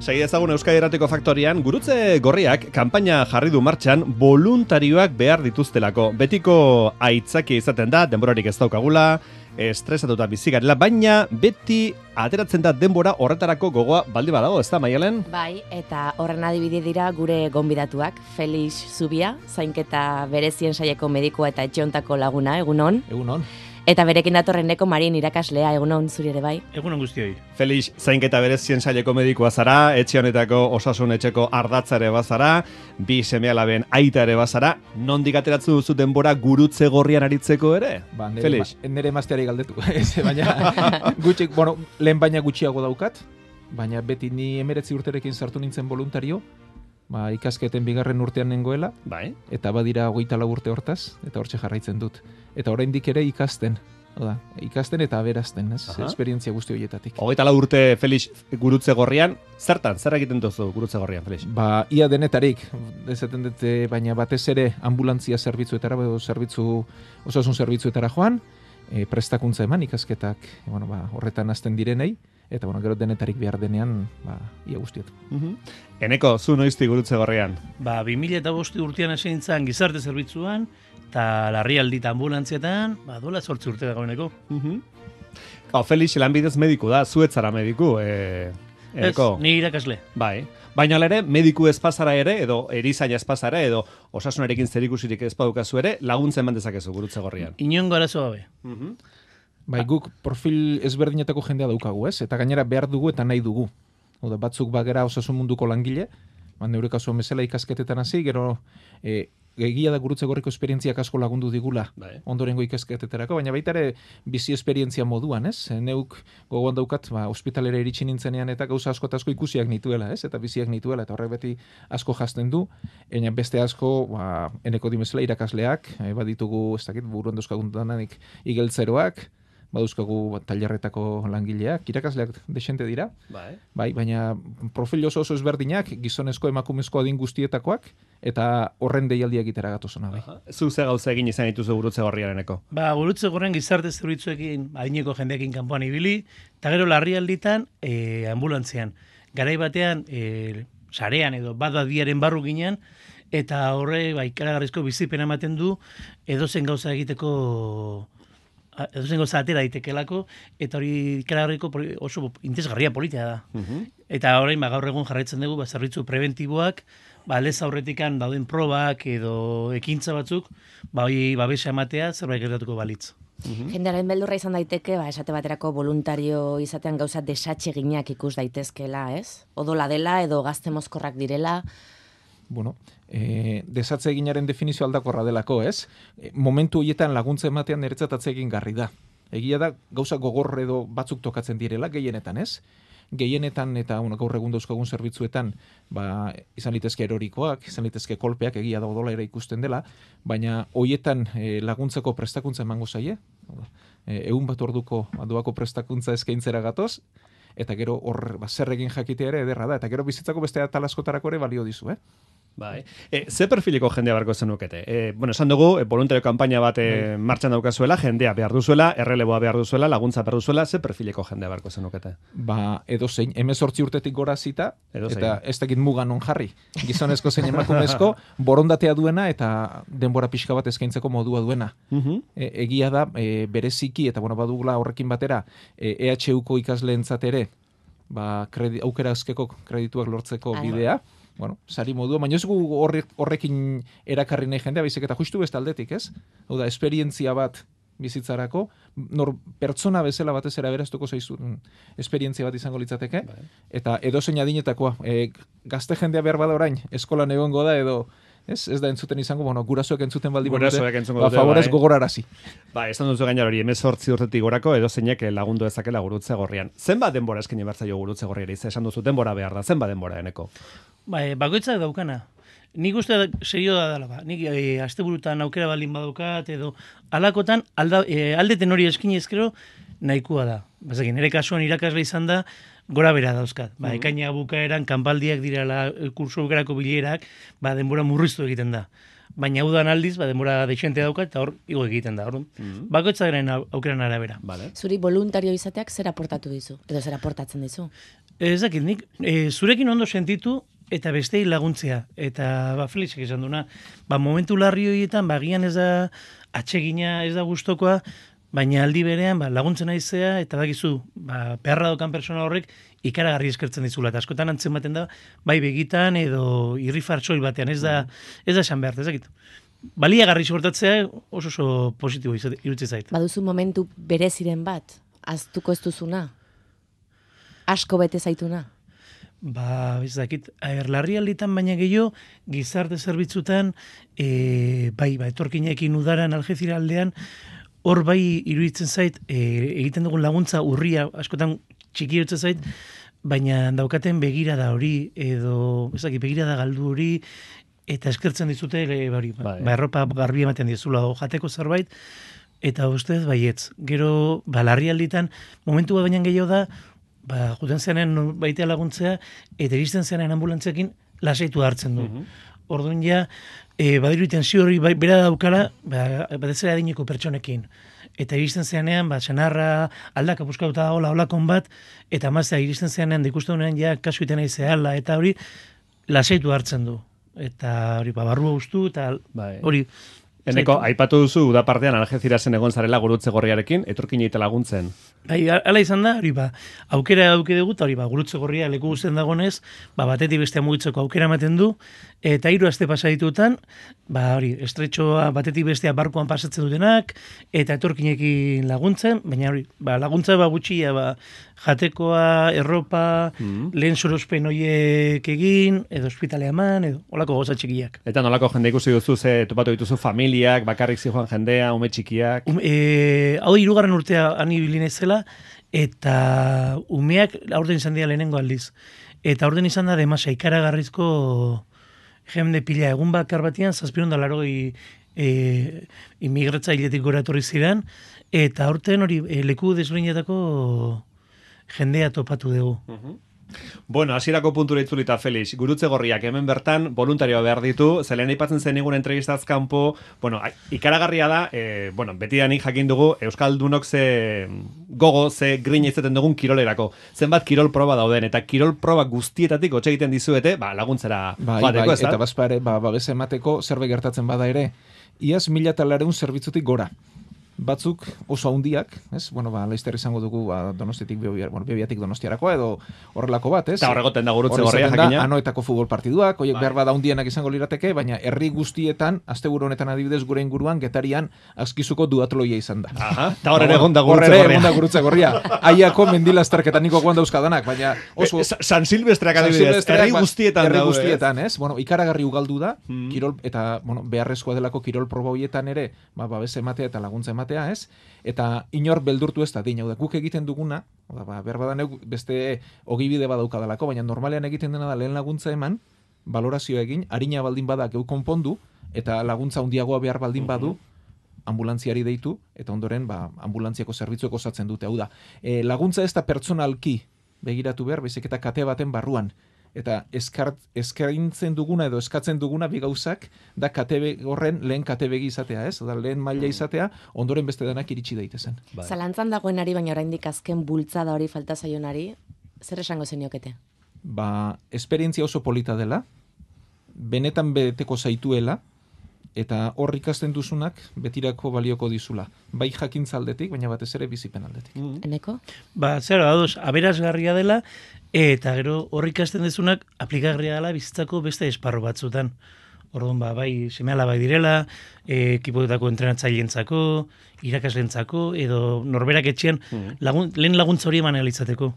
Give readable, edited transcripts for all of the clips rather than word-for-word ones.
Segi ezagun Euskadi Irratiko Faktorian, Gurutze Gorriak kanpaina jarri du martxan voluntarioak behar dituztelako. Betiko aitzakia izaten da, denborarik ez daukagula, estresatuta bizi garela, baina beti ateratzen da denbora horretarako gogoa baldi badago, ez da, Maialen? Bai, eta horren adibide dira gure gonbidatuak, Felix Zubia, zainketa berezien saieko medikua eta etxeontako laguna, egunon. Egunon. Eta berekin datorreneko Marin irakaslea, egunon zuri ere bai. Egunon guztioi. Felix, zainketa berezien saileko medikua zara, etxe honetako osasun etxeko ardatza ere bazara, bi seme-alaben aita ere bazara, nondik ateratzen duzu denbora Gurutze Gorrian aritzeko ere? Ba, Felix? Nere emazteari galdetu, baina gutxik, lehen baina gutxiago daukat, baina beti ni 19 urterekin sartu nintzen voluntario, ikasketen bigarren urtean nengoela, Bai. eta badira 24 urte hortaz, eta hortxe jarraitzen dut. Eta oraindik ere ikasten, ikasten eta aberazten, ez? Esperientzia guzti horietatik. 24 urte Felix Gurutze Gorrian, zertan, zer egiten duzu Gurutze Gorrian, Felix? Ba, ia denetarik, esaten dut, baina batez ere ambulantzia zerbitzuetara, osasun zerbitzuetara joan, prestakuntza eman ikasketak, horretan hasten direnei, eta gero denetarik behar denean, ia guztiet. Eneko, zu noizti Gurutze Gorrian? 2005 urtean hasi nintzen gizarte zerbitzuan, eta larrialdi eta ambulantzietan, dola 8 urte dagoeneko. Felix lanbidez mediku da, zuetzara mediku, Eneko? Ez, ni irakasle. Bai. Baina ere, mediku espazara ere, edo erizaina espazara, edo osasunarekin zerikusirik ez badukazu ere, laguntzen eman dezakezu Gurutze Gorrian. Inongo arazo gabe. Bai, guk profil ezberdinetako jendea daukagu, ez? Eta gainera behar dugu eta nahi dugu. Batzuk bagera osasun munduko langile, neure kasuan bezala ikasketetan hasi, gero egia da Gurutze Gorriko esperientziak asko lagundu digula ondorengo ikasketetarako, baina baita ere bizi esperientzia moduan, ez? Neuk gogoan daukat, ospitalera iritsi nintzenean eta gauza asko eta asko ikusiak nituela, ez? Eta biziak nituela, eta horrek beti asko jazten du, baina beste asko, Eneko dimezela irakasleak, baditugu, ez dakit, buruan dauzkaguntanik igeltzeroak, baduzkagu tailerretako langileak, irakasleak desente dira, bai, baina profil oso ezberdinak, gizonezko emakumezko adin guztietakoak, eta horren deialdia egitera gatozona, bai. Zu ze gauza egin izan dituzu Gurutze Gorriareneko? Gurutze Gorrian gizarte zerbitzuekin, adineko jendeekin kanpoan ibili, eta gero larrialditan ambulantzian. Garai batean, sarean edo badadiaren barru ginen, eta horre ikaragarrizko bizipena ematen du, edozen gauza egiteko edozen gauza atera daitekelako, eta hori ikaragarriko oso interesgarria politia da. Eta orain gaur egun jarraitzen dugu zerbitzu preventiboak, lez aurretikan dauden probak edo ekintza batzuk, hori babesa ematea zerbait gertatuko balitz. Jendearen beldurra izan daiteke, esate baterako voluntario izatean gauza desatseginak ikus daitezkela, ez? Odola dela edo gazte mozkorrak direla. Desatze eginaren definizio aldakorra delako, ez? Momentu horietan laguntza ematean niretzat atsegin garri da. Egia da, gauza gogor edo batzuk tokatzen direla, gehienetan, ez? Gehienetan eta gaur egun dauzkagun zerbitzuetan, izan litezke erorikoak, izan litezke kolpeak, egia da odola ere ikusten dela, baina horietan laguntzeko prestakuntza emango zaie, 100 orduko doako prestakuntza eskaintzera gatoz, eta gero hor zer egin jakitea ere ederra da, eta gero bizitzako beste atal askotarako ere balio dizu, Bai. Ze perfileko jendea barko zenukete? Esan dugu, voluntario kanpaina bat martxan daukazuela, jendea behar duzuela, erreleboa behar duzuela, laguntza behar duzuela, ze perfileko jendea barko zenukete? Edozein, 18 urtetik gora zita, eta ez dakit muga non jarri. Gizonezko zein emakumezko, borondatea duena eta denbora pixka bat eskaintzeko modua duena. Egia da, bereziki, eta badugula horrekin batera, EHUko ikasleentzat ere, aukera askeko kredituak lortzeko bidea, sari modua, baina ez gu horrekin erakarri nahi jendea, baizik eta justu beste aldetik, ez? Hau da, esperientzia bat bizitzarako, pertsona bezala batez era beraztuko zaizun esperientzia bat izango litzateke, eta edozein adinetakoa, gazte jendea behar bada orain, eskolan egongo da edo, ez da entzuten izango, gurasoek entzuten baldi favorez gogorarazi. Esan duzu gainar hori, 18 urtetik gorako edozeinek lagundu dezakela Gurutze Gorrian. Zenbat denbora eskaini behar zaio Gurutze Gorriari? Esan duzu denbora behar da, zenbat denbora, Eneko? Bakoitzak daukana. Nik uste serio da dela, nik asteburutan aukera baldin badaukat, edo alakotan aldeten hori eskini ezkero nahikoa da. Nire kasuan irakasle izan da, gora bera dauzkat. Ekaina bukaeran kanpaldiak direla kurso bukerako bilerak, denbora murriztu egiten da. Baina udan aldiz, denbora deixente daukat, eta hor igo egiten da. Bakoitzaren aukeran arabera. Zuri voluntario izateak zer aportatu dizu? Edo zer aportatzen dizu? Ez dakit, nik zurekin ondo sentitu eta bestei laguntzea. Eta Felixek esan duna, momentu larri horietan, gian ez da atsegina, ez da gustokoa, baina aldi berean laguntzen aizea, eta bakizu, beharra dokan persona horrek ikaragarri eskertzen dizula. Eta askotan antzematen da, bai begitan edo irrifar soil batean, ez da esan behar, ez dakit. Baliagarri suertatzea oso positibo iruditzen zait. Baduzu momentu bereziren bat, aztuko ez duzuna? Asko bete zaituna? Ez dakit, larri alditan baina gehiago, gizarte zerbitzutan, etorkinekin udaran Algezira aldean, hor bai iruditzen zait, egiten dugun laguntza urria, askotan txiki iruditzen zait, baina daukaten begirada hori, edo, begirada galdu hori, eta eskertzen dizute, erropa garbi ematen dizula, jateko zerbait, eta ustez baietz. Gero, larri alditan, momentu bat baina gehiago da, juten zenean baitea laguntzea, eta iristen zenean ambulantzekin lasaitu hartzen du. Orduan ja, badiru tensio hori bera daukala, batezera adineko pertsonekin. Eta iristen zenean, senarra aldaka buskauta olakon bat, eta maztea iristen zenean, ikusten honean ja kasu iten nahi zehala, eta hori lasaitu hartzen du. Eta hori, barrua ustu, eta hori... Eneko, aipatu duzu, da partean Algezirasen egon zarela Gurutze Gorriarekin, etorkin eite laguntzen. Hala izan da, hori aukera dauke dugu, eta hori Gurutze Gorria leku guztien dagonez, batetik bestea mugitzeko aukera ematen du, eta 3 aste pasa ditutan, hori, estretxoa batetik bestea barkoan pasatzen dutenak, eta etorkinekin laguntzen, baina hori, laguntza gutxia, jatekoa, erropa, lehen sorospen horiek egin, edo ospitalea eman, edo holako gauza txikiak. Eta nolako jende ikusi duzu, topatu dituzu familiak, bakarrik zijoan jendea, ume txikiak? Hau 3. urtea ani bilinezela, eta umeak aurten izan dira lehenengo aldiz. Eta aurten izan da demasa ikaragarrizko jende pila egun bakar batian, 780 immigratzailetik gora etorri ziren, eta aurten hori leku desberdinetako jendea topatu dugu. Bueno, hasierako puntura itzulita, Felix. Gurutze Gorriak hemen bertan voluntarioa behar ditu, zelen aipatzen zen egun entrevistaz kanpo, ikaragarria da, betidanik jakin dugu, Euskaldunok ze gogo, ze grina izaten dugun kirolerako. Zenbat kirol proba dauden, eta kirol proba guztietatik hotxe egiten dizuete, laguntzera joateko, ez da? Eta bazpare, babes emateko zerbait gertatzen bada ere, iaz 1.200 zerbitzutik gora. Batzuk oso handiak, ez? Laizter izango dugu Donostiatik Bebiatik Donostiarakoa edo horrelako bat, ez? Eta horregoten da Gurutze Gorria jakina. Anoetako futbol partiduak, horiek behar bada handienak izango lirateke, baina herri guztietan, asteburu honetan adibidez gure inguruan, Getarian azkizuko duatloia izan da. Eta hor ere egon da Gurutze Gorria. Aiako mendilazterketan niko guan dauzkadanak, baina oso... San Silvestreak adibidez, herri guztietan. Herri guztietan, ez? Ikaragarri ugaldu da, kirol, eta beharrezkoa delako kirol proba horietan ere, babes ematea eta laguntza ematea, ez? Eta inor beldurtu ez da, hau da, guk egiten duguna, behar badan beste ogibide badaukadalako, baina normalean egiten dena da lehen laguntza eman, valorazio egin, harina baldin bada geu konpondu, eta laguntza handiagoa behar baldin badu, ambulantziari deitu, eta ondoren ambulantziako zerbitzuek osatzen dute, hau da. Laguntza ez da pertsonalki begiratu behar, baizik eta kate baten barruan. Eta eskaintzen duguna edo eskatzen duguna bi gauzak da horren lehen katebegi izatea, ez? Da lehen maila izatea, ondoren beste denak iritsi daitezen. Zalantzan dagoenari, baina oraindik azken bultzada hori falta zaionari, zer esango zeniokete? Esperientzia oso polita dela, benetan beteko zaituela, eta hor ikasten duzunak betirako balioko dizula. Bai jakintza aldetik, baina batez ere bizipen aldetik. Eneko? Zer da, aberasgarria dela, eta gero hor ikasten duzunak aplikagarria dela bizitzako beste esparro batzutan. Orduan, bai seme-alaba bai direla, ekipotako entrenatzaileentzako, irakaslentzako, edo norberak etxean lehen laguntza hori eman izateko.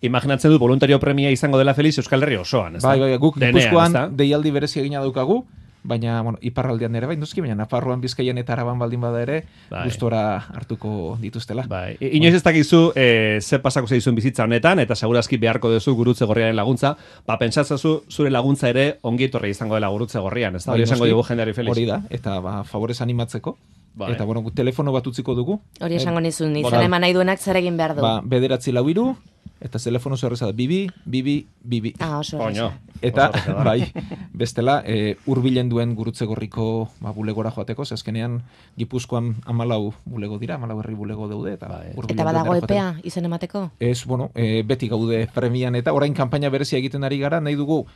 Imaginatzen dut voluntario premia izango dela Felix Euskal Herri osoan, ez da? Bai, guk Gipuzkoan deialdi berezi egina daukagu, baina iparraldean ere bai, noski, baina Nafarroan, Bizkaian eta Araban baldin bada ere, gustora hartuko dituztela. Inoiz ez dakizu ze pasako zeizun bizitza honetan, eta segurazki beharko duzu Gurutze Gorriaren laguntza, pentsatzazu zure laguntza ere ongi etorri izango dela Gurutze Gorrian, ez da? Hori esango dugu jendeari, Felix. Hori da, eta favorez animatzeko. Eta, telefono bat utziko dugu. Hori esango nizun, izan eman nahi duenak zer egin behar du. 943 Eta telefono zerreza da, bibi. Oso Oño. erresa. Eta, Oso erresa da. bai, bestela, hurbilen duen Gurutze Gorriko bulegora joateko, azkenean Gipuzkoan 14 bulego dira, 14 herri bulego daude, eta hurbilen Eta badago duenera joateko. epea izen emateko? Ez, beti gaude premian, eta orain kanpaina berezia egiten ari gara, nahi dugu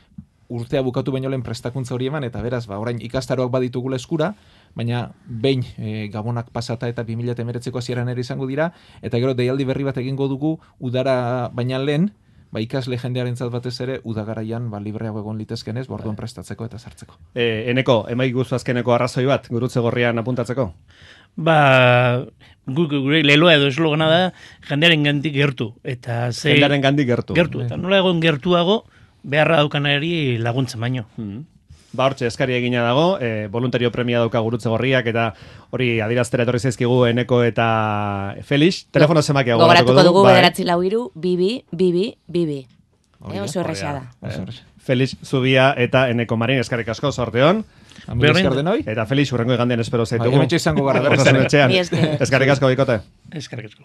urtea bukatu baino lehen prestakuntza hori eman, eta beraz, orain ikastaroak baditugula eskura, baina behin gabonak pasata eta 2019ko hasieran ere izango dira, eta gero deialdi berri bat egingo dugu udara baina lehen, ikasle jendearentzat batez ere udagaraian libreago egon litezkenez, orduan prestatzeko eta sartzeko. Eneko, emai guzu azkeneko arrazoi bat, Gurutze Gorrian apuntatzeko? Gure leloa edo eslogana da jendearen gandik gertu. Eta Jendearen gandik gertu. Gertu, eta nola egon gertuago beharra daukanari laguntzen baino. Hortxe, eskari egina dago, voluntario premia dauka Gurutze Gorriak, eta hori adiraztera etorri zaizkigu Eneko eta Felix. Telefono zemakia gogoratuko dugu, 943 oso erresa da. Felix Zubia eta Eneko Marin, eskarrik asko, sorteon. Esker denoi? Eta Felix, urrengo igandean espero zaitugu. Hementxe izango gara, berriz ere. Eskarrik asko, bikote. Eskerrik asko.